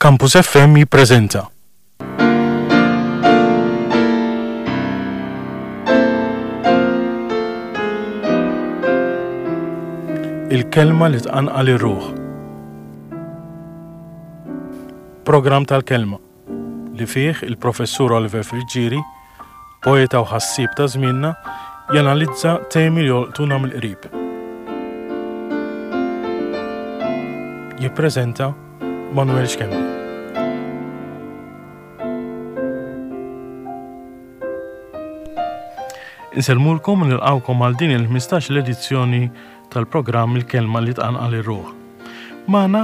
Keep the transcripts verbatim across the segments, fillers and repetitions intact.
Campus F M jippreżenta Il-kelma li tqanqal ir-ruħ. Programm tal-kelma li fih il-Professur Oliver Friggieri, poeta u ħassieb ta' żmienna, janalizza temi li jolqtuna mill-qrib. Jippreżenta Manuel Schembri. Insellmulkom u nilqawkom għal din il-ħmistax l-edizzjoni tal-programm Il-Kelma li tqanqal ir-ruħ. Magħna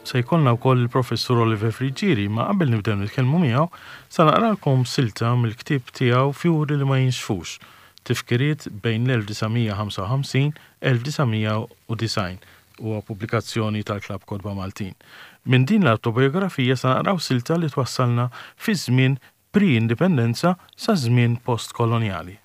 se jkollna wkoll il-Professur Oliver Friggieri, ma qabel nibdew nitkellmu miegħu, sa naqralkom silta mill-ktieb tiegħu Fjuri li ma jinxfux, tifkiriet bejn l-elf disa' mija ħamsa u ħamsin elf disa' mija u disgħin, huwa pubblikazzjoni tal-Klabb Kotba Maltin. Minn din l-autobiografija sa naqraw silta li twassalna fi żmien pre-indipendenza sa żmien post-kolonjali.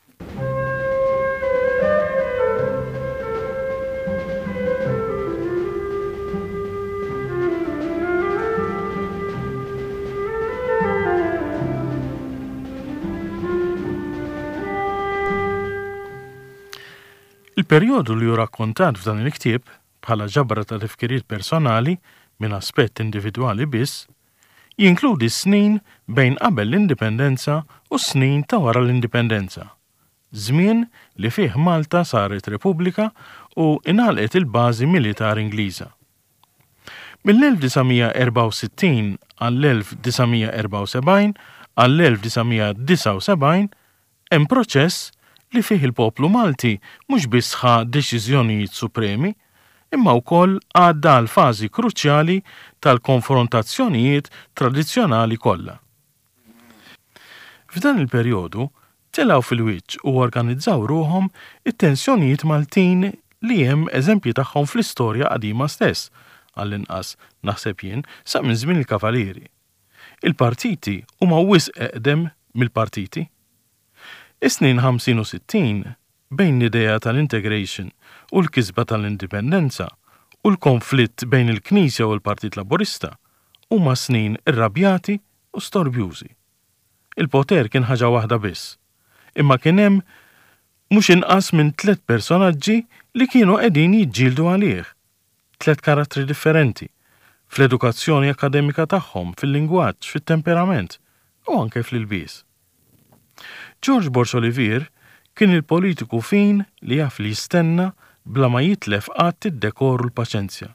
Il-perjodu li hu rakkontat f'dan il-ktieb bħala ġabra ta' tifkiriet personali minn aspett individwali biss, jinkludi snin bejn qabel l-indipendenza u snin ta' wara l-indipendenza. Żmien li fih Malta saret Repubblika u ingħalqet il-bażi militari Ingliża. Mill-elf disa' mija erbgħa u sittin għall-elf disa' mija erbgħa u sebgħin għall-elf disa' mija disgħa u sebgħin hemm proċess li fih il-poplu Malti mhux biss ħa deċiżjonijiet supremi, imma wkoll għadda għal fażi kruċjali tal-konfrontazzjonijiet tradizzjonali kollha. F'dan il-perjodu telgħu fil-wiċċ u organizzaw ruħhom it-tensjonijiet Maltin li hemm eżempji tagħhom fl-istorja qadima stess, għall-inqas naħseb jien sa minn żmien il-Kavalieri. Il-partiti huma wisq eqdem mill-partiti. Is-snin ħamsin u sittin bejn l-idea tal-integration u l-kisba tal-indipendenza u l-konflitt bejn il-Knisja u l-Partit Laburista huma snin irrabjati u storbjużi. Il-poter kien ħaġa waħda biss, imma kien hemm mhux inqas minn tliet personaġġi li kienu qegħdin jiġġieldu għalih. Tliet karattri differenti fl-edukazzjoni akademika tagħhom, fil-lingwaġġ, fit-temperament u anke fl-ilbies. George Borg Olivier kien il-politiku fin li jaf li jistenna bla ma jitlef qatt id-dekor u l-paċenzja.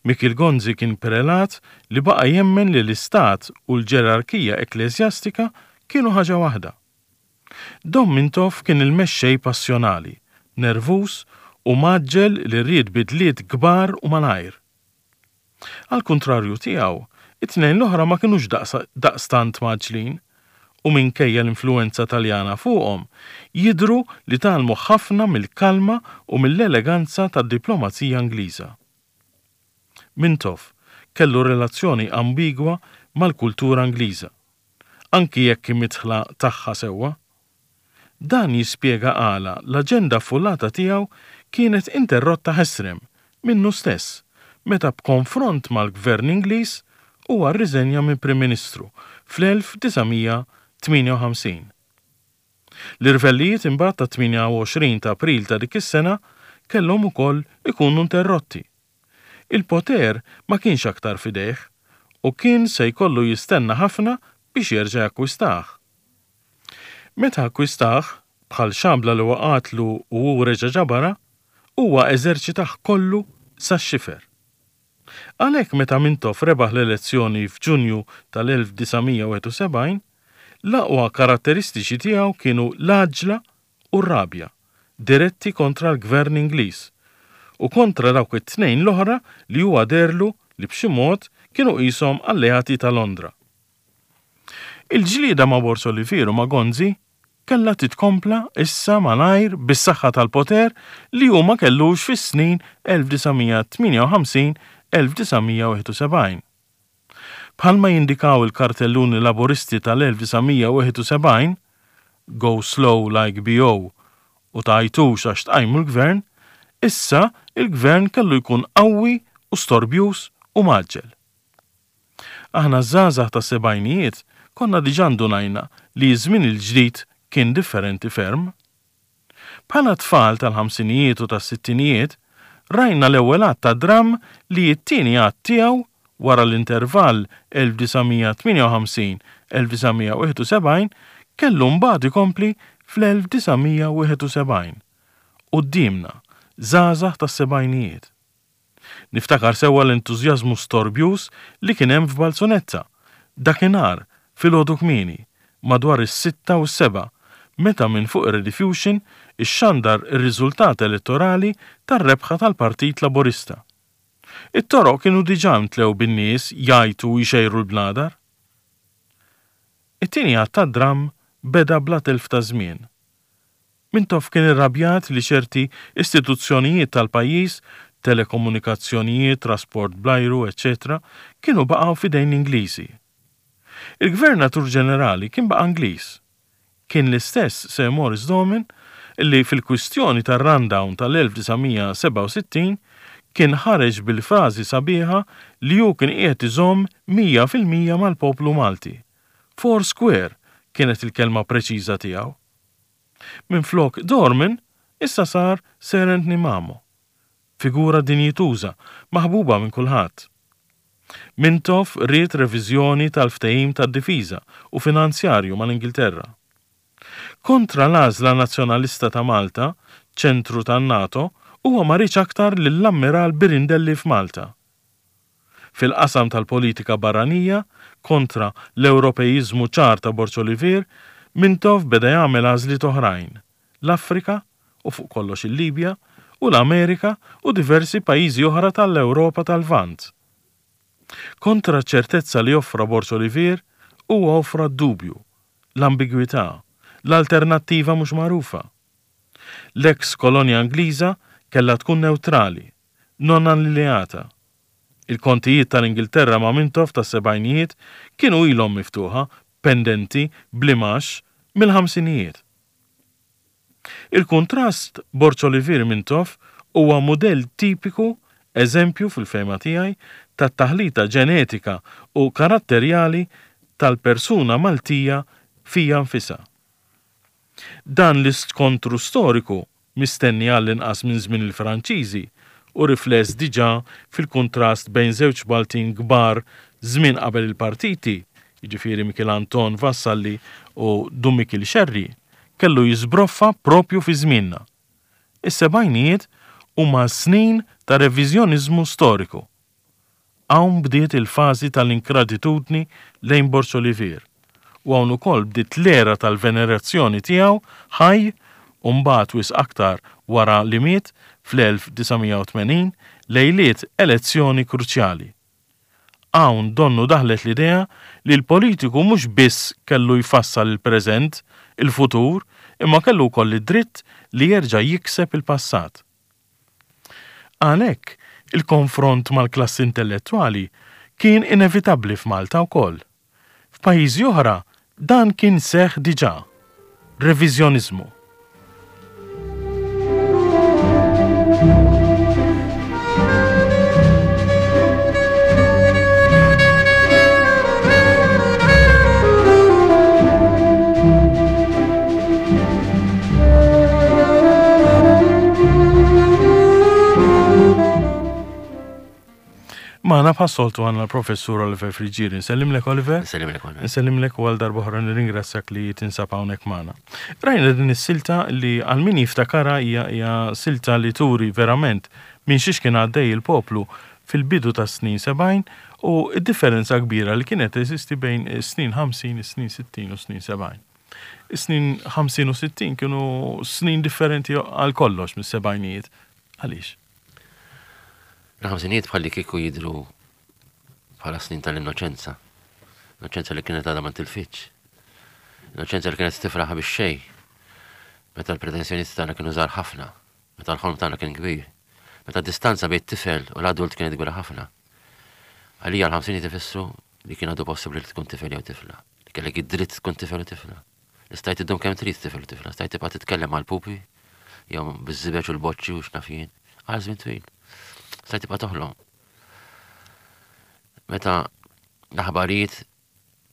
Mikiel Gonzi kien prelat li baqa' jemmen li l-istat u l-ġerarkija ekklesjastika kienu ħaġa waħda. Dom Mintoff kien il-mexxej passjonali, nervuż u mgħaġġel li ried bidliet kbar u malajr. Għal kontrarju tiegħu, it-tnejn l-oħra ma kinux daqstant mgħaġġlin u minkejja l-influenza Taljana fuqhom, jidhru li tgħallmu ħafna mill-kalma u mill-eleganza tad-diplomazija Ingliża. Mintoff kellu relazzjoni ambigwa mal-kultura Ingliża, anki jekk midħla tagħha sewwa. Dan jispjega għala l-aġenda affullata tiegħu kienet interrotta ħesrem minnu stess meta b'konfront mal-Gvern Ingliż huwa rriżenja minn Prim Ministru fl-elf disa' mija tmienja u ħamsin. L-irvellijiet imbagħad ta' tmienja u għoxrin ta' April ta' dik is-sena kellhom ukoll ikunu interrotti. Il-poter ma kienx aktar fidejh u kien se jkollu jistenna ħafna biex jerġa' jakkwistah. Meta akkwistah, bħal xabla li waqatlu u hu reġa' ġabara, huwa eżerċitah kollu sax-xifer. Għalhekk meta Mintoff rebaħ l-elezzjoni f'Ġunju tal-elf disa' mija wieħed u sebgħin, l-aqwa karatteristiċi tiegħu kienu l-għaġla u r-rabja, diretti kontra l-Gvern Ingliż u kontra dawk it-tnejn l-oħra li huwa deherlu li b'xi mod kienu qishom alleati ta' Londra. Il-ġlieda ma' Borg Olivier u ma' Gonzi kellha titkompla issa malajr bis-saħħa tal-poter li hu ma kellux fis-snin elf disa' mija tmienja u ħamsin elf disa' mija wieħed u sebgħin. Bħalma jindikaw il-kartelluni laboristi tal-elf disa' mija wieħed u sebgħin, "Go slow like B O" u tgħajtux għax tqajmu l-gvern, issa il-gvern kellu jkun qawwi u storbjuż u mgħaġġel. Aħna ż-żgħażagħ tas-sebgħinijiet konna diġà ndunajna li ż-żmien il-ġdid kien differenti ferm. Bħala tfal tal-ħamsinijiet u tas-sittinijiet, rajna l-ewwel att ta' dramm li t-tieni att tiegħu wara l-intervall elf disa' mija tmienja u ħamsin elf disa' mija wieħed u sebgħin kellu mbagħad ikompli fl-elf disa' mija wieħed u sebgħin. Quddiemna, żgħażagħ tas-sebgħinijiet. Niftakar sewwa l-entużjażmu storbjuż li kien hemm f'Balzunetta, dakinhar filgħodu kmieni, madwar is-sitta u s-sebgħa, meta minn fuq ir-Rediffusion ixxandar ir-riżultat elettorali tar-rebħa tal-Partit Laburista. It-toroq kienu diġà mtlew bin-nies jgħajtu u jxejru l-bnadar. It-tieni att tad-dramm beda bla telf ta' żmien. Mintoff kien irrabjat li ċerti istituzzjonijiet tal-pajjiż, telekomunikazzjonijiet, trasport bl-ajru, eċċetera, kienu baqgħu f'idejn l-Ingliżi. Il-Gvernatur Ġenerali kien baqa' Ingliż. Kien l-istess Sir Maurice Dorman li fil-kwistjoni tar-rundown tal-elf disa' mija sebgħa u sittin kien ħareġ bil-frażi sabiħa li hu kien qiegħed iżomm mija fil-mija mal-poplu Malti. Four square kienet il-kelma preċiża tiegħu. Minflok Dorman issa sar Sir Anthony Mamo, figura dinjituża, maħbuba minn kulħadd. Mintoff ried reviżjoni tal-ftehim tad-difiża u finanzjarju mal-Ingilterra. Kontra l-għażla nazzjonalista ta' Malta, ċentru tan-NATO, huwa ma riedx aktar lill-Ammiral Birindelli f'Malta. Fil-qasam tal-politika barranija, kontra l-Ewropeizmu ċar ta' Borg Olivier, Mintoff beda jagħmel għażliet oħrajn, l-Afrika u fuq kollox il-Libja u l-Amerika u diversi pajjiżi oħra tal-Ewropa tal-Lvant. Kontra ċertezza li offra Borg Olivier, huwa offra d-dubju, l-ambigwità, l-alternattiva mhux magħrufa. L-eks kolonja Ingliża kellha tkun neutrali, non allineata. Il-kontijiet tal-Ingilterra ma' Mintoff tas-sebgħinijiet kienu ilhom miftuħa, pendenti, blimax, mill-ħamsinijiet. Il-kontrast Borg Olivier Mintoff huwa mudell tipiku, eżempju fil-fehma tiegħi, tat-taħlita ġenetika u karatterjali tal-persuna Maltija fija nfisha. Dan l-iskontru storiku mistenni għall-inqas minn żmien il-Franċiżi u rifless diġà fil-kontrast bejn żewġ Maltin kbar żmien qabel il-partiti, jiġifieri Mikiel Anton Vassalli u Dun Mikiel Xerri, kellu jiżbroffa propju fi żmienna. Is-sebgħinijiet huma snin ta' reviżjoniżmu storiku. Hawn bdiet il-fażi tal-inkratitudni lejn Borg Olivier u hawn ukoll bdiet l-era tal-venerazzjoni tiegħu ħaj u mbagħad wisq aktar wara li miet fl-elf disa' mija u tmenin lejliet elezzjoni kruċjali. Hawn donnu daħlet l-idea li l-politiku mhux biss kellu jfassal il-preżent, il-futur, imma kellu wkoll id-dritt li jerġa' jikseb il-passat. Għalhekk, il-konfront mal-klassi intellettwali kien inevitabbli f'Malta wkoll. F'pajjiżi oħra dan kien seħħ diġà. Reviżjoniżmu. Magħna bħas-soltu għandna l-Professur Oliver Friggieri. Nsellimlek, Oliver? Nsellimlek, Oliver. Nsellimlek u għal darba oħra nirringrazzjak li tinsab hawnhekk magħna. Rajna din is-silta li għal min jiftakarha hija, hija silta li turi verament minn xiex kien għaddej il-poplu fil-bidu tas-snin sebgħin u d-differenza kbira li kienet teżisti bejn is-snin ħamsin, is-snin sittin u s-snin sebgħin. Is-snin ħamsin u sittin kienu snin differenti għal kollox mis-sebgħinijiet. Għaliex? Il-ħamsinijiet bħalli kieku jidhru bħala snin tal-innoċenza. Innoċenza li kienet għadha ma tilfitx. Innoċenza li kienet tifraħ bix-xejn. Meta l-pretensjonijiet tagħna kienu żgħar ħafna, meta l-ħolm tagħna kien kbir, meta d-distanza bejn it-tifel u l-adult kienet kbira ħafna. Għalija l-ħamsinijiet ifissru li kien għadu possibbli li tkun tifel jew tifla, li kellek id-dritt tkun tifel u tifla. Li stajt iddum kemm trid tifel u tifla, stajt tibqa' titkellem mal-pupi, jew biż-żibeġ u l-boċċi u x'naf jien, għal żmien twil. Stajt tibqa' toħlom. Meta L-aħbarijiet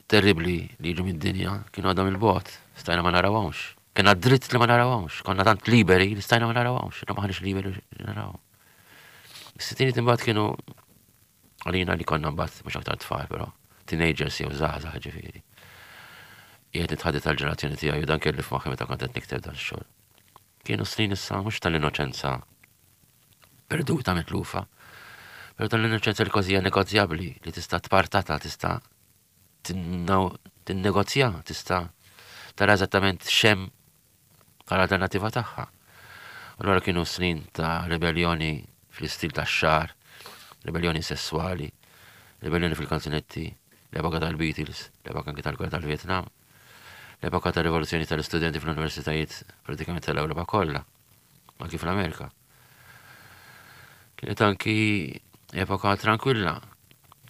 terribli li jiġu mid-dinja kienu għadhom il-bogħod, stajna ma narawhomx. Kena dritt li ma narawhomx, konna tant liberi li stajna ma narawhomx, ma maħniex liberi li narawhom. Is-sittinijiet imbagħad kienu għalina li konna mbagħad mhux aktar tfal, però teenagers jew żgħażagħ ġifieri. Qiegħed nitħaddet tal-ġenerazzjoni tiegħi u dan kelli f'moħħi meta kont qed nikteb dan ix-xogħol. Kienu snin issa mhux tal-innoċenza perduta mitlufa, però tal-innoċenza li kważi hija negozjabbli, li tista' tpartata, tista' tinnegozja, tista' tara eżattament x'hemm għal-alternativa tagħha. Allura kienu snin ta' ribellioni fl-istil tax-xagħar, ribellioni sessuali, ribellioni fil-kanzunetti, l-epoka tal-Beatles, l-epoka anki tal-gwerra tal-Vietnam, l-epoka tal-rivoluzzjoni tal-istudenti fl-universitajiet pratikament tal-Ewropa kollha, anki fl-Amerika. Kienet anki epoka tranquilla,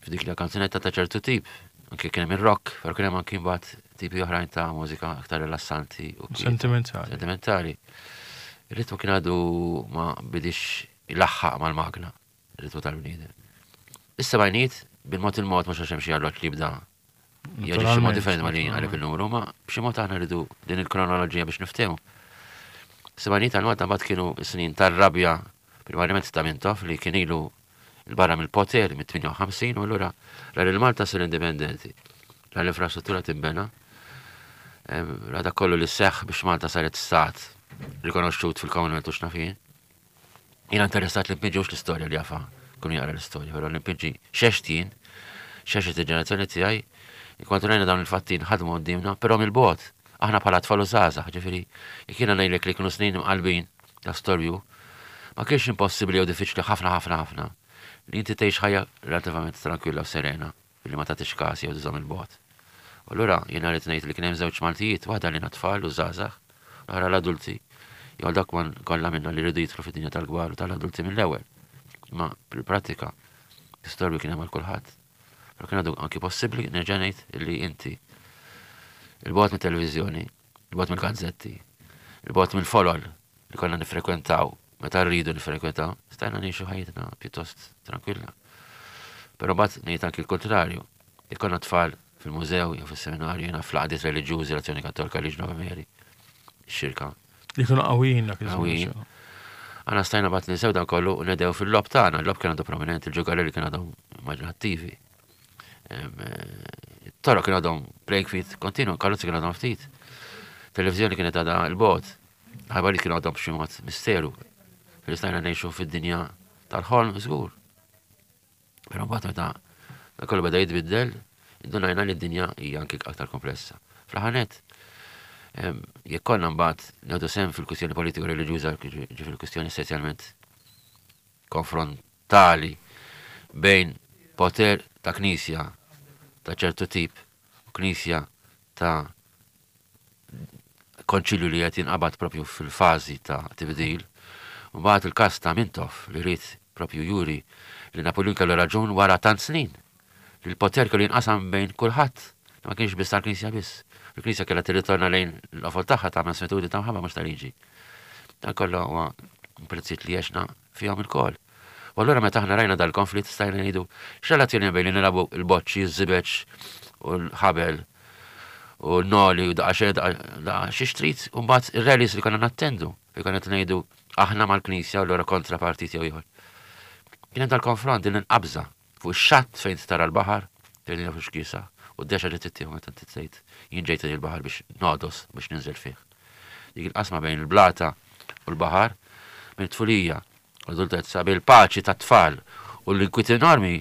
f'dik li kanzunetta ta' ċertu tip, anki kien hemm ir-rock, però kien hemm anki mbagħad tipi oħrajn ta' mużika aktar rilassanti u sentimentali. Sentimentali. Ir-ritmu kien għadu ma bidix ilaħħaq mal-magna, ir-ritmu tal-bniedem. Is-sebgħinijiet bil-mod il-mod mhux għax hemm xi arloġġ li jibda jaġixxi mod differenti ma li għalek il-numru, ma b'xi mod aħna rridu din il-kronoloġija biex niftehmu. Sebgħinijiet għal Malta mbagħad kienu snin tar-rabja primarjament ta' Mintoff li kien ilu l-barra mill-poter mit-tmienja u ħamsin u allura ra lil Malta ssir indipendenti, ra l-infrastruttura tinbena, ra dak kollu li seħħ biex Malta saret stat rikonoxxut fil-Commonwealth u x'naf jien. Jiena interessat li npinġi mhux l-istorja li jafa kun jaqra l-istorja, però li npinġi x'għext jien, x'għexet il-ġenerazzjoni tiegħi, inkwantu rajna dawn il-fatti nħadmu quddiemna, però mill-bogħod, aħna bħala tfal u żgħażagħ, ġifieri jekk jiena ngħidlek li kienu snin imqallbin ta' storbju, ma kienx impossibbli jew diffiċli ħafna ħafna ħafna li inti tgħix ħajja relattivament tranquilla u serena billi ma tagħtix każ jew tiżomm il-bogħod. U allura jiena rrid ngħid li kien hemm żewġ Maltijiet, waħda lina tfal u żgħażagħ, l-oħra l-adulti, jew għal dak kollha minna li rridu jidħlu fid-dinja tal-kbar u tal-adulti mill-ewwel. Imma fil-prattika, l-istorbju kien hemm għal kulħadd. Però kien għadu anki possibbli nerġa' ngħid li inti il-bogħod mit-televiżjoni, il-bogħod mill-gazzetti, il-bogħod mill-folol li konna nifrekwentaw meta rridu nifrekwentaw, stajna ngħixu ħajjitna pjuttost tranquilla. Però mbagħad ngħid anki l-kontrarju, jekk konna tfal fil-mużew jew fis-seminarju, jiena fl-għaqdiet reliġjużi, l-Azzjoni Kattolika, Legion of Mary, xirka. Li kienu qawwijin dak iż-żmien. Qawwijin. Aħna stajna mbagħad ninsew dan kollu u nedew fil-logħob tagħna, il-logħob kien għadu prominenti, il-ġugarelli kien għadhom immaġinattivi. Toroq kien għadhom playing field kontinu, karozzi kien għadhom ftit. Televizjoni kienet għadha l-bogħod. Ħabarijiet kienu għadhom b'xi mod misteru. Li stajna ngħixu fid-dinja tal-ħolm żgur. Però mbagħad meta dak kollu beda jitbiddel, indunajna li d-dinja hija anki aktar komplessa. Fl-aħħar nett, jekk konna mbagħad nieħdu sehem fil-kwistjoni politiku reliġjuża, ġifieri kwistjoni essenzjalment konfrontali bejn poter ta' knisja ta' ċertu tip u knisja ta' konċilju li qed jinqabad propju fil-fażi ta' tibdil. U mbagħad il-każ ta' Mintoff li ried propju juri li Napoleon kellu raġun wara tant snin li l-poter kellu jinqasam bejn kulħadd, ma kienx biss tal-Knisja biss. Il-Knisja kellha tirritorna lejn l-qofol tagħha ta' mansuetudni ta' mħabba mhux ta' liġi. Dan kollu huwa prezzijiet li għexna fihom ilkoll. U allura meta aħna rajna dal-konflitt stajna ngħidu x'relazzjoni hemm bejn li nilagħbu l-boċċi, iż-żibeġ u l-ħabel u l-noli u daqa xejn daqa xi trid u mbagħad ir-rallies li konna nattendu li konna qed ngħidu aħna mal-Knisja u allura kontra partit jew ieħor. Kien hemm dal-konfront din il-qabża fuq ix-xatt fejn tara l-baħar, fejn jafu x'kiesa, u d-dexa li tittieħu meta inti tgħid jien ġejt il-baħar biex nogħdos biex ninżel fih. Dik il-qasma bejn il-blata u l-baħar minn tfulija u l-adultezza bejn il-paċi tat-tfal u l-inkwiet enormi,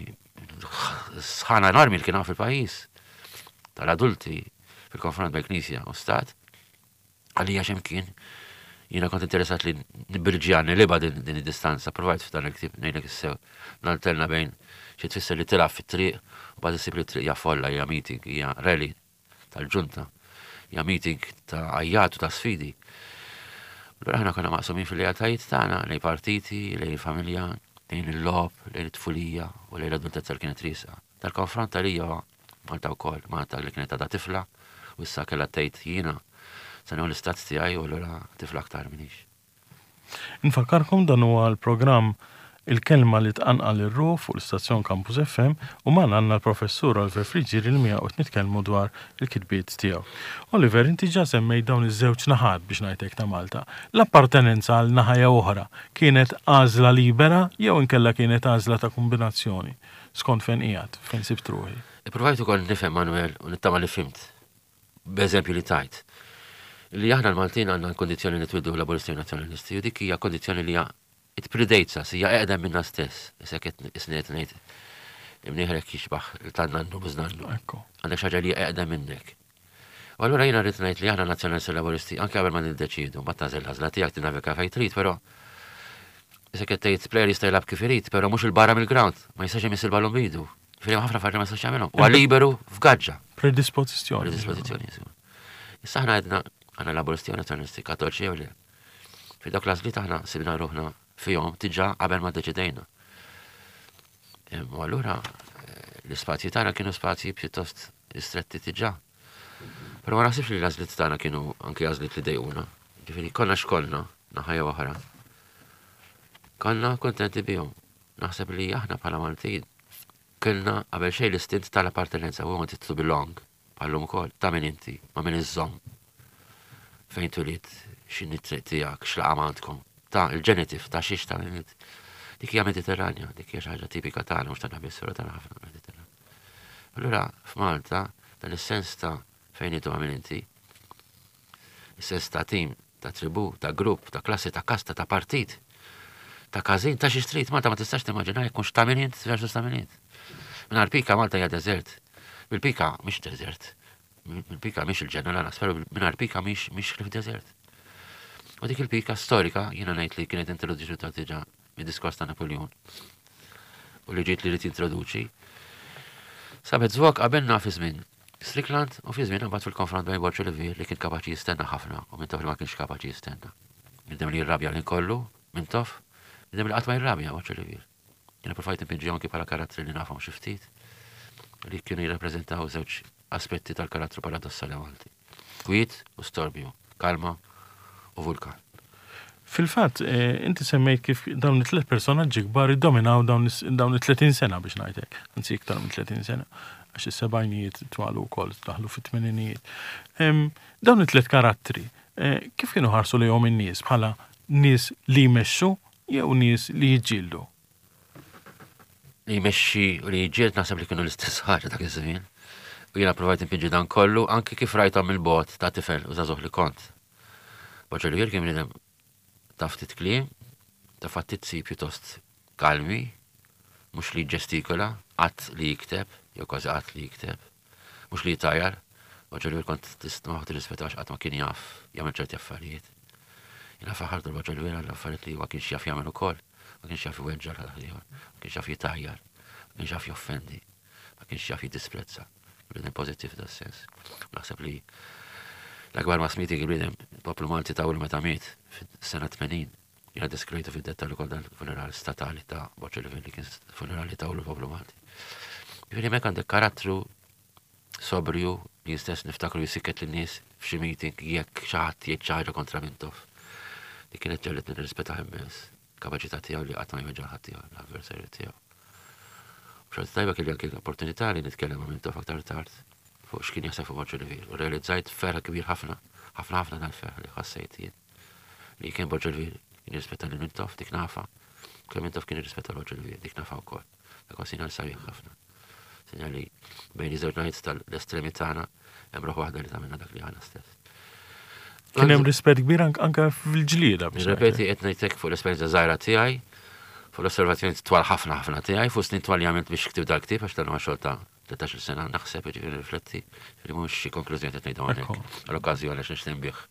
sħana enormi li kien hawn fil-pajjiż tal-adulti fil-konfront bejn Knisja u Stat, għalija x'imkien jiena kont interessat li nibirġja niliba din, din id-distanza, provajt f'dan il-ktieb ngħidlek issew nalterna bejn xi tfisser li tilgħab fit-triq u bad issib li t-triq hija folla, hija meeting, hija rally tal-ġunta, hija meeting ta' għajjat u ta' sfidi. Allura aħna konna maqsumin fil-lealtajiet tagħna lejn partiti, lejn familja, lejn il-logħob, lejn it-tfulija u lejn l-adultezza li kienet riesqa. Tal-konfront għalija Malta wkoll, Malta li kienet għadha tifla u issa kellha tgħid jiena se nieħu l-istat tiegħi u allura tifla aktar minix. Infakkarkom dan huwa l-programm Il-kelma li tqanqal ir-ruħ fuq l-istazzjon Campus F M u magħna għandna l-professur Oliver Friggieri li miegħu qed nitkellmu dwar il-kitbiet tiegħu. Oliver, inti ġa semmejt dawn iż-żewġ naħat biex ngħidlek ta' Malta. L-appartenenza għal naħa jew oħra kienet għażla libera jew inkella kienet għażla ta' kombinazzjoni skont fejn qiegħed, fejn sibt ruħi? Ippruvajt ukoll nifhem, Manuel, u nittama li fhimt. B'eżempju li tajt. Li aħna l-Maltin għandna kondizzjoni li nitwieldu Laburisti u Nazzjonalisti, u dik hija kondizzjoni li hija it predates us, hija eqdem minna stess. Issa qed isniet ngħid imnieħrek jixbaħ tan-nannu bużnannu. Ekku. Għandek xi ħaġa li hija eqdem minnek. U allura jiena rrid ngħid li aħna Nazzjonalisti, Laburisti anke qabel ma niddeċidu, ma tagħżel l-għażla tiegħek, tinnaviga fejn trid, però issa qed tgħid player jista' jilgħab kif irid, però mhux 'il barra mill-ground, ma jistax imiss il-ballun b'idu. Ġifieri ħafna affarijiet ma jistax jagħmelhom. Huwa liberu f'gaġġa. Predispożizzjoni. Predispożizzjoni, insomma. Issa aħna għedna għandna Laburisti u Nazzjonalisti, Kattoliċi jew le. Fi dawk l-għażliet aħna sibna ruħna fihom diġà qabel ma deċidejna. U allura eh, l-ispazji tagħna kienu spazji pjuttost stretti diġà. Però ma naħsibx li l-għażliet tagħna kienu anke għażliet li dejquna. Ġifieri konna x'kollna naħa jew oħra. Konna kontenti bihom. Naħseb li aħna bħala Maltin kellna qabel xejn l-istint tal-appartenenza, we wanted to belong, bħallum ukoll, ta' min inti, ma' min iżżomm. Fejn twelidt, x'inhi t-triq tiegħek, x'laqam għandkom, ta' il-genitive, ta' xiex ta' min int. Dik hija Mediterranja, dik hija xi ħaġa tipika tagħna, mhux tagħna biss, però tagħna ħafna Mediterran. Allura f'Malta dan is-sens ta' fejn intu, ma' min inti, is-sens ta' tim, ta' tribu, ta' grupp, ta' klassi, ta' kasta, ta' partit, ta' każin, ta' xi street, Malta ma tistax timmaġina jekk mhux ta' min int versus ta' min int. Mingħajr pika Malta hija deżert. Bil-pika mhix deżert. Bil-pika mhix il-ġenna lanqas, però mingħajr pika mhix mhix ħlief deżert. U dik il-pika storika jiena ngħid li kienet introduċuta diġà mid-diskors ta' Napoleon. U li ġiet li rrid jintroduċi. Sabet żvok qabelna fi żmien Strickland u fi żmien mbagħad fil-konfront bejn Borg Olivier li kien kapaċi jistenna ħafna u Mintoff li ma kienx kapaċi jistenna. Bniedem li jirrabja l kollu, Mintoff, bniedem li qatt ma jirrabja, Borg Olivier. Jiena provajt npinġi anki bħala karattri li nafhom xi ftit li kienu jirrappreżentaw żewġ aspetti tal-karattru paradossali Malti. Kwiet u storbju, kalma u vulkan. Fil-fatt, eh, inti semmejt kif dawn it-tliet personaġġi kbar iddominaw dawn is- dawn it-tletin sena biex ngħidlek, anzi iktar minn tletin sena, għax is-sebgħinijiet twalu wkoll daħlu fit-tmeninijiet. Em, Dawn it-tliet karattri, eh, kif kienu ħarsu lejhom in-nies, bħala nies li jmexxu jew nies li jiġġieldu? Li jmexxi u li jiġġieled naħseb li kienu l-istess ħaġa dak iż-żmien. U jiena provajt npinġi dan kollu anki kif rajthom mill-bogħod ta' tifel u żagħżugħ li kont. Borg Olivier kien bniedem ta' ftit kliem, ta' fattizzi pjuttost kalmi, mhux li ġestikola, qatt li jikteb, jew kważi qatt li jikteb, mhux li jitajar. Borg Olivier kont tisma' tirrispettax, qatt ma kien jaf jagħmel ċerti affarijiet. Jiena faħartu l-Borg Olivier għall affarijiet li ma kienx jaf jagħmel ukoll. Ma kienx jaf iweġġa' l ma kienx jaf jitajjar, ma kienx jaf joffendi, ma kienx jaf jiddisprezza. Bniedem pożittiv da sens. Naħseb li l-akbar mass meeting il-bniedem poplu Malti ta' meta miet fis-sena tmenin. Jiena deskrivejtu fid-dettal ukoll dan funeral statali ta' Borg Olivier li kien funerali ta' l-poplu Malti. Ġifieri hemmhekk għandek karattru sobrju li stess niftakru jisikket lin-nies f'xi meeting jekk xi ħadd jgħid xi ħaġa kontra Mintoff. Li kienet ġegħlitni nirrispetta immens kapaċità tiegħu li qatt ma jweġġa' ħadd tiegħu, l-avversarju tiegħu. Xorta tajba kelli anke l-opportunità li nitkellem ma' Mintoff aktar tard fuq x'kien jaħseb fuq Borg Olivier. U realizzajt ferħ kbir ħafna, ħafna ħafna dal-ferħ li ħassejt jien. Li kien Borg Olivier kien jirrispetta lil Mintoff, dik nafa. Kemm Mintoff kien jirrispetta Borg Olivier, dik nafa wkoll. Dak huwa sinjal sabiħ ħafna. Sinjal li bejn iż-żewġ naħiet tal-estremi tagħna hemm ruħ waħda li tagħmilna dak li aħna stess. Kien hemm rispett kbir ank- anke fil-ġlieda biex Nirrepeti, qed ngħidlek fuq l-esperjenza żgħira tiegħi, fuq l-osservazzjoni twal ħafna ħafna tiegħi, fuq snin twal li għamilt biex ktibt dal-ktieb, għax dan huwa xogħol ta' tlettax-il sena naħseb, jiġifieri rifletti, jiġifieri mhux xi konklużjoni qed ngħidu hawnhekk. Ekku. Għall-okkażjoni għax nixtieq nbigħ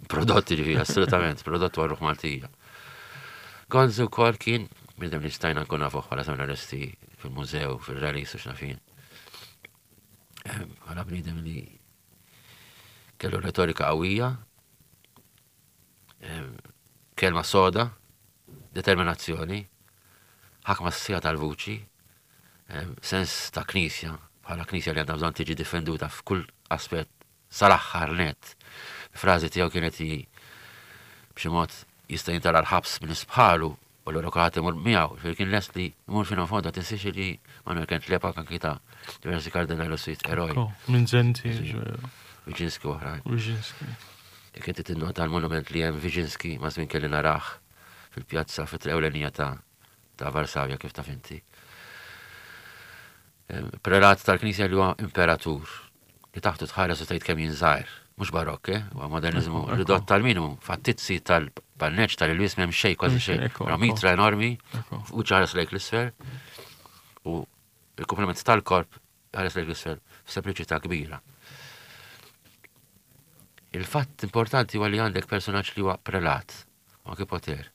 prodotti, ġifieri assolutament, prodott għal ruħ Maltija. Gonzi wkoll kien bniedem li stajna nkun nafuh bħala seminaristi fil-mużew, fil-rallies u x'nafin. Bħala bniedem li kellu retorika qawwija, em, kelma soda, determinazzjoni, ħakma sħiħa tal-vuċi, em, sens ta' knisja, bħala knisja li għandha bżonn tiġi difenduta f'kull aspett sal-aħħar net. Frażi tiegħu kienet hi b'xi mod jista' jintara l-ħabs minn bħalu. U l-għura kulħadd imur miegħu, ġifieri kien lest li jmur fino fondo, tinsiex li Manuel kien l-epoka anki ta' diversi kardinali u sit eroj. Minzenti, Wyszynski u oħrajn. Wyszynski. Jekk inti tinnota l-monument li hemm Wyszynski ma' żmien kelli narah fil-pjazza fit-triq ewlenija ta' ta' Varsavja kif taf inti. Prelat tal-Knisja li huwa imperatur li taħtu tħares u tgħid kemm jien żgħir. Mhux barokk, eh? Huwa modernizmu ridott tal-minimu. Fattizzi tal-panneġġ tal-ilwies m'hemm xejn kważi xejn. Però mitra enormi u ħares lejk l-isfel u il-komplement tal-korp ħares lejk l-isfel f'sempliċità kbira. Il-fatt importanti huwa li għandek personaġġ li huwa prelat, u anke poter.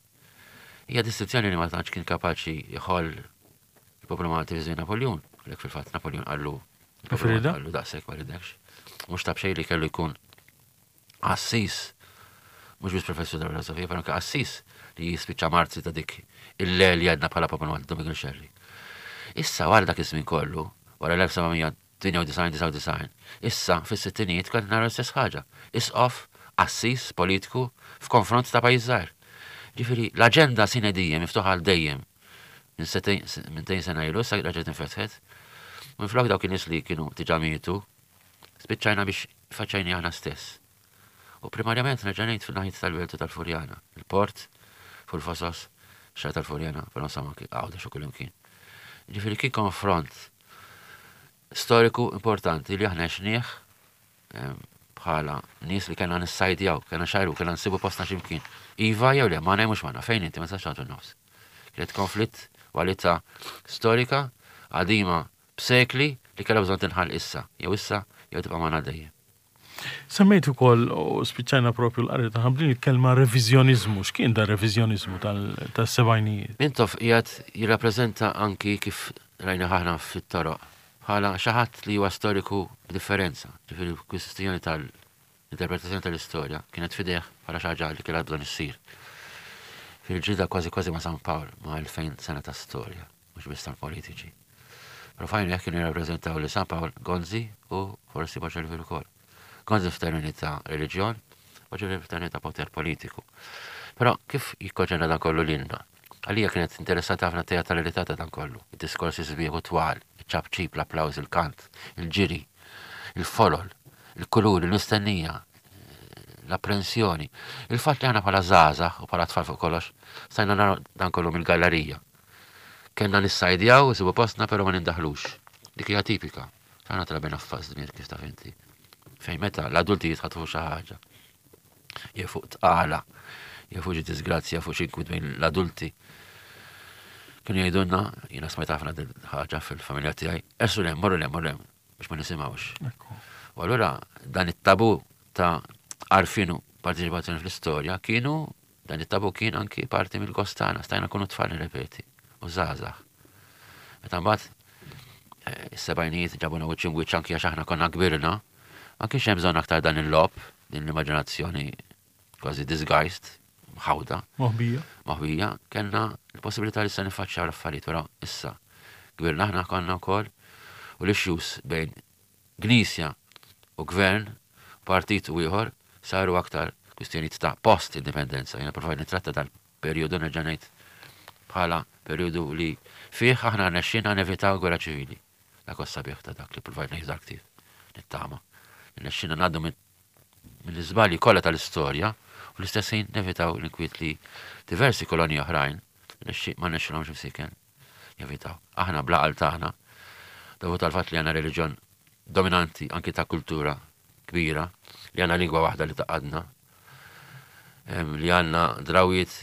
Hija distinzjoni li ma tantx kien kapaċi jħoll il-poplu Malti fi żmien Napoleon. Għalhekk fil-fatt Napoleon qallu qallu daqshekk ma ridekx. Mhux ta' b'xejn li kellu jkun qassis, mhux biss professur ta' filosofija, però anke qassis li jispiċċa marzi ta' dik il-le li għadna bħala poplu Malti Dom Miguel Xerri. Issa wara dak iż-żmien kollu, wara l-elf seba' mija tmienja u disgħin, disgħa u disgħin, issa fis-sittinijiet kont nara l-istess ħaġa. Isqof, qassis politiku f'konfront ta' pajjiż żgħir. Ġifieri l-aġenda sine die miftuħa għal dejjem. Minn setejn, minn tejn sena ilu, issa reġgħet infetħet. Minflok dawk in-nies li kienu diġà mietu, spiċċajna biex faċċajni aħna stess. U primarjament nerġa' ngħid fil-naħiet tal-Belt u tal-Furjana, il-port, fuq il-Fosos, xar tal-Furjana, però insomma anki Għawdex u kullimkien. Ġifieri kien konfront storiku importanti li aħna għexnieh bħala nies li kellna nissajdjaw, kellna xajru, kellna nsibu postna x'imkien. Iva jew le, ma mhux magħna, fejn inti ma tistax tagħtu nofs. Kienet konflitt walità storika qadima b'sekli li kellha bżonn tinħall issa, jew issa jew tibqa' magħna dejjem. Semmejt ukoll u spiċċajna propju l-qari ta' ħamlin il-kelma reviżjoniżmu. X'kien da reviżjoniżmu tas-sebgħinijiet? Mintoff qiegħed jirrappreżenta anki kif rajna aħna fit-toroq bħala xi ħadd li huwa storiku b'differenza. Ġifieri kwistjoni tal-interpretazzjoni tal-istorja kienet fideh bħala xi ħaġa li kellha bżonn issir. Fil-ġida kważi kważi ma' San Pawl ma' elfejn sena ta' storja, mhux biss tal-politiċi. Però fajn jekk kienu jirrappreżentaw li San Pawl Gonzi u forsi Boċelvir ukoll. Gonzi f'termini ta' reliġjon, Boċelvir f'termini ta' poter politiku. Però kif jikkonċerna dan kollu lilna? Għalija kienet interessanti ħafna teatralità ta' dan kollu. Id-diskorsi sbieħ u twal, iċ-ċapċip, l-applaws, il-kant, il-ġiri, il-folol, il-kuluri, l-mistennija, l-apprensjoni. Il-fatt li aħna bħala żgħażagħ u bħala tfal fuq kollox, stajna naraw dan kollu mill-gallerija. Kellna nissajdjaw, nsibu postna, però ma nindaħlux. Dik hija tipika. Aħna trabejna f'faż dmir kif taf inti. Fejn meta l-adulti jitħatfu xi ħaġa. Jew fuq tqala, jew fuq xi disgrazzja, fuq xi inkwit bejn l-adulti. Kienu jgħidulna, jiena smajt ħafna din ħaġa fil-familja tiegħi, ersu lem, morru lem, morru lem, biex ma nisimgħux. U allura dan it-tabu ta' għarfien u parteċipazzjoni fl-istorja kienu, dan it-tabu kien anki parti mill-gostana, stajna kunu tfal nirrepeti, u żgħażagħ. Meta mbagħad, eh, is-sebgħinijiet ġabuna wiċċ imwiċċ anki għax aħna konna kbirna, ma kienx hemm bżonn aktar dan il-logħob, din l-immaġinazzjoni kważi disguised, mħawda. Moħbija. Moħbija, kellna l-possibilità li se nifaċċjaw l-affarijiet, però issa kbirna aħna konna wkoll u l-issues bejn Knisja u gvern, partit u ieħor, saru aktar kwistjonijiet ta' post-indipendenza. Jiena provajt nitratta dal-perjodu nerġa' ngħid bħala perjodu li fih aħna rnexxina nevitaw gwerra ċivili. Dak huwa sabiħ ta' dak li provajt ngħid dak ktieb, nittama. Rnexxina ngħaddu mill-iżbalji kollha tal-istorja u l-istess ħin nevitaw l-inkwiet li diversi kolonji oħrajn ma rnexxilhomx imsiken jevitaw. Aħna bla qal tagħna, dovut għal fatt li għandna reliġjon dominanti anki ta' kultura kbira, li għandna lingwa waħda li taqadna, li għandna drawiet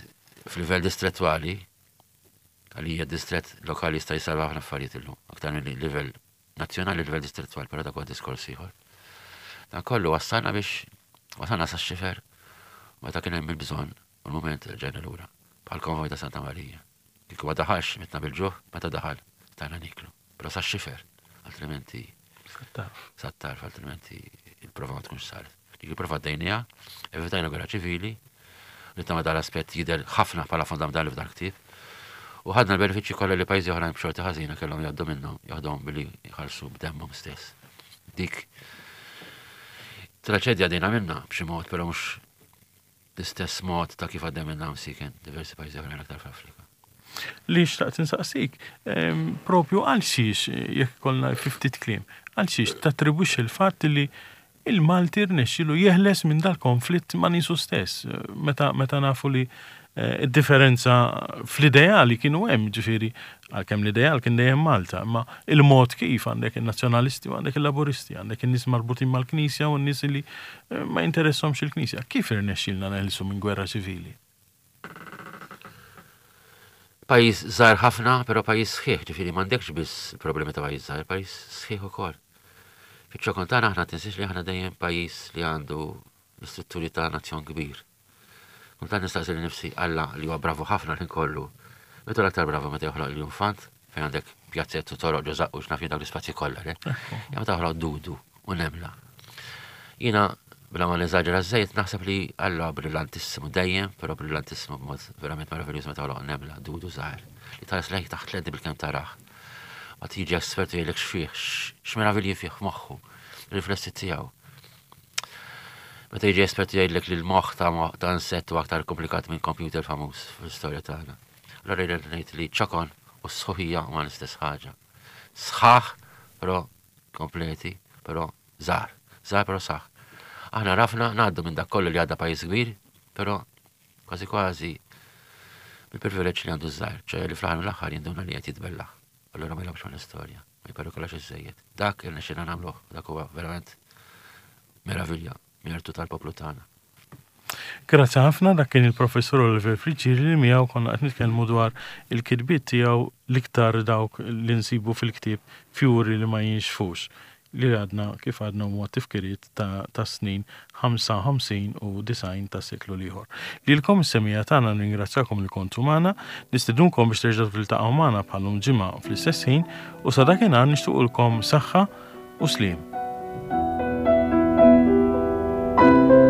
f'livell distrettwali, għalija distret lokali jista' jsalva ħafna affarijiet illum, aktar minn livell nazzjonali, livell distrettwali, però dak huwa diskors ieħor. Dan kollu wassalna biex wasalna sa xifer meta kien hemm il-bżonn u l-mument ġejna lura, bħal konvoj ta' Santa Marija. Kieku ma daħalx mitna bil-ġuħ, meta daħal stajna niklu, però sa xifer, altrimenti sat-tarf, altrimenti il-prova ma tkunx saret. Dik il-prova għaddejniha, evitajna gwerra ċivili, li ta' dal-aspett jidher ħafna bħala fondamentali f'dan il-ktieb. U ħadna l-benefiċċji kollha li pajjiżi oħrajn b'xorti ħażina kellhom jgħaddu minnhom, jaħdhom billi jħallsu b'demmhom stess. Dik traċedja dina minna b'xi mod, però mhux l-istess mod ta' kif għaddej minna msiken diversi pajjiżi oħrajn aktar fl-Afrika. Li xtaqt insaqsik, propju għal xiex, jekk kollna ftit kliem, għal xiex tattribwixxi il-fatt li il-Malti rnexxielu jeħles minn dal-konflitt ma' nisu stess, meta, meta nafu li eh, id-differenza fl-ideali kienu hemm, ġifieri, għalkemm l-ideal kien dejjem Malta, imma il-mod kif għandek il-nazzjonalisti u għandek il-laburisti, għandek in-nies marbutin mal-Knisja u n-nies li eh, ma jinteressahomx il-Knisja. Kif irnexxielna neħilsu minn gwerra ċivili? Pajjiż żgħir ħafna, però pajjiż sħiħ, ġifieri m'għandekx biss problemi ta' pajjiż żgħir, pajjiż sħiħ ukoll. Fiċ-ċokon tagħna aħna tinsiex li aħna dejjem pajjiż li għandu l-istrutturi ta' nazzjon kbir. Kultant nistaqsi lil nifsi Alla li huwa bravu ħafna l-ħin kollu. Meta l-aktar bravu meta joħloq l-infant fejn għandek pjazzett u toroq ġo żaqqu x'naf jien dawk l-ispazji kollha, le? Ja meta joħloq dudu u nemla. Jiena bla ma neżaġera żejt naħseb li Alla brillantissimu dejjem, però brillantissimu b'mod verament meraviljuż meta joħloq nemla, dudu żgħir li tħares lejh taħt lenti bilkemm tarah. Ma tiġi espert jgħidlek x'fih, x'meravilji fih f'moħħu, riflessi tiegħu. Meta jiġi espert jgħidlek li l-moħħ ta' ta' insett huwa aktar komplikat minn computer famuż fl-istorja tagħna. Allora jgħidlek ngħid li ċokon u s-sħuħija huma l-istess ħaġa. Sħaħ, però kompleti, però żgħar. Żgħar però saħ. Aħna rafna ngħaddu minn dak kollu li għadda pajjiż kbir, però kważi kważi bil-privileġġ li għandu żgħar, ċe li fl-aħħar mill-aħħar jinduna li qed jitbellaħ. Allora ma jilgħabx mal-istorja, ma jperikolax iżżejjed. Dak irnexxielna nagħmluh, dak huwa verament meravilja, mertu tal-poplu tagħna. Grazzi ħafna, dak kien il-professur Oliver Friggieri li miegħu konna qed nitkellmu dwar il-kitbiet tiegħu l-iktar dawk li nsibu fil-ktieb Fjuri li ma jinxfux, li għadna kif għadna huwa tifkiriet ta', ta' snin ħamsa u ħamsin u disgħin ta' seklu l-ieħor. Lilkom is-semija tagħna ningrazzjakom li kontu magħna, nistedunkom biex terġgħu tiltaqgħu magħna bħalhom ġimgħa fl-istess ħin u sa dakinhar nixtiequlkom saħħa u sliem. Thank you.